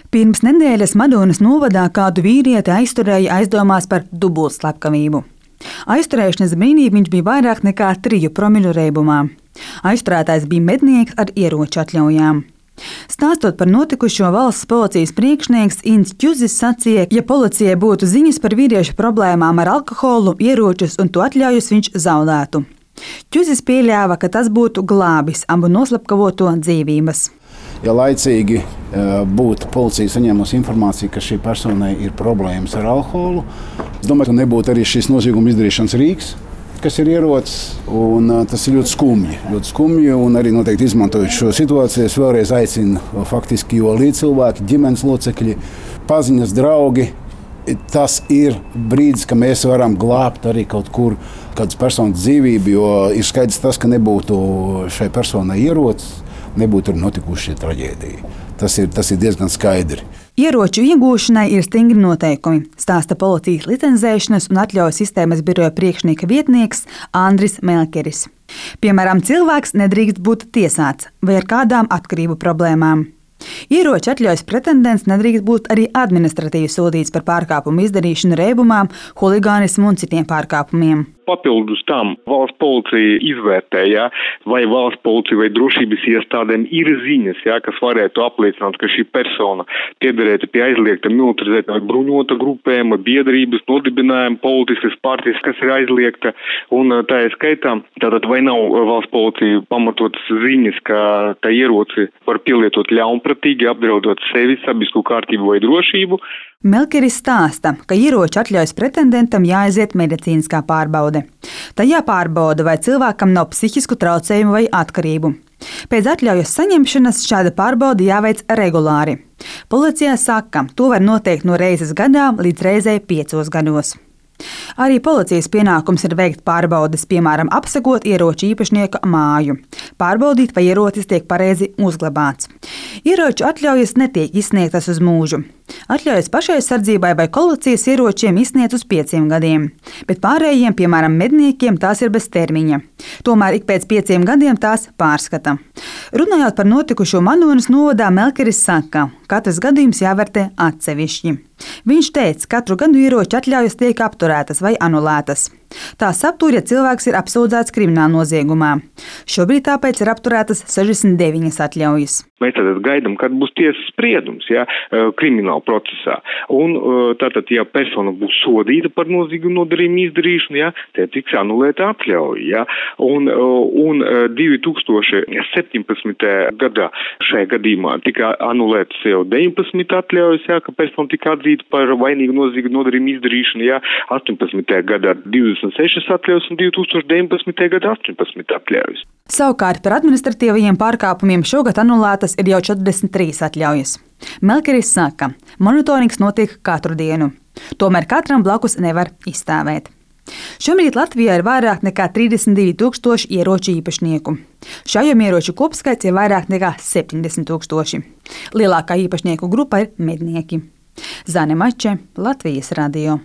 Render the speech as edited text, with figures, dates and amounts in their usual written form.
Pirms nedēļas Madonas novadā kādu vīrieti aizturēja aizdomās par dubultslepkavību. Aizturēšanas brīdī viņš bija vairāk nekā 3 promļu reibumā. Aizturētājs bija mednieks ar ieroču atļaujām. Stāstot par notikušo, valsts policijas priekšnieks Inns Ķuzis sacīja, ja policijai būtu ziņas par vīrieša problēmām ar alkoholu, ieročus un to atļaujas, viņš zaudētu. Ķuzis pieļāva, ka tas būtu glābis abu noslepkavoto dzīvības. Ja laicīgi būtu policija saņēmusi informāciju, ka šī personai ir problēmas ar alkoholu, es domāju, ka nebūtu arī šis nozieguma izdarīšanas rīks, kas ir ierocis. Tas ir ļoti skumji, un arī noteikti izmantojot šo situāciju, es vēlreiz aicinu faktiski, jo līdzcilvēki, ģimenes locekļi, paziņas, draugi, tas ir brīdis, ka mēs varam glābt arī kaut kur kādas personas dzīvību, jo ir skaidrs tas, ka nebūtu šai personai ierocis, nebūtu arī notikuši šī traģēdija. Tas ir diezgan skaidri. Ieroču iegūšanai ir stingri noteikumi, stāsta policijas licencēšanas un atļauju sistēmas biroja priekšnieka vietnieks Andris Melkeris. Piemēram, cilvēks nedrīkst būt tiesāts vai ar kādām atkarību problēmām. Ieroču atļaujas pretendents nedrīkst būt arī administratīvi sodīts par pārkāpumu izdarīšanu reibumām, huligānismu un citiem pārkāpumiem. Papildus tam valsts policija izvērtē, vai valsts policija vai drošības iestādēm ir ziņas, kas varētu apliecināt, ka šī persona piederēta pie aizliegta militarizēta vai bruņota grupējuma, biedrības, nodibinājuma, politiskas partijas, kas ir aizliegta. Un tā ir skaitā, tātad vai nav valsts policija pamatotas ziņas, ka tā ieroci var pielietot ļaunprātīgi, apdraudot sevi, sabiedrisko kārtību vai drošību. Melkeris stāsta, ka ieroču atļaujas pretendentam jāaiziet medicīniskā pārbaude. Tajā pārbauda, vai cilvēkam nav psihisku traucējumu vai atkarību. Pēc atļaujas saņemšanas šāda pārbaude jāveic regulāri. Policijā saka, to var noteikt no reizes gadā līdz reizei 5 gados. Arī policijas pienākums ir veikt pārbaudes, piemēram, apsekot ieroču īpašnieka māju, pārbaudīt, vai ierocis tiek pareizi uzglabāts. Ieroču atļaujas netiek izsniegtas uz mūžu. Atļaujas pašaizsardzībai vai kolekcijas ieročiem izsniedz uz 5 gadiem, bet pārējiem, piemēram, medniekiem, tās ir bez termiņa. Tomēr ik pēc 5 gadiem tās pārskata. Runājot par notikušo Madonas novadā, Melkeris saka, katrs gadījums jāvērtē atsevišķi. Viņš teica, ka katru gadu ieroču atļaujas tiek apturētas vai anulētas. Tās aptur, ja cilvēks ir apsūdzēts krimināla noziegumā. Šobrīd tāpēc ir apturētas 69 atļaujas. Mēs tātad gaidām, kad būs tiesas spriedums krimināla procesā. Un tātad, ja persona būs sodīta par noziegumu nodarījumu izdarīšanu, tad tiks anulēta atļauja. Un 2017. gadā šajā gadījumā tika anulētas jau 19 atļaujas, ka persona tika atzīta par vainīgu noziegumu nodarījumu izdarīšanu, 18. gadā 26 atļaujas un 2019. gadā 18 atļaujas. Savukārt par administratīvajiem pārkāpumiem šogad anulētas ir jau 43 atļaujas. Melkeris saka, monitorings notiek katru dienu. Tomēr katram blakus nevar izstāvēt. Šobrīd Latvijā ir vairāk nekā 32,000 ieroču īpašnieku. Šaujamieroču kopskaits ir vairāk nekā 70,000. Lielākā īpašnieku grupa ir mednieki. Zane Mače, Latvijas radio.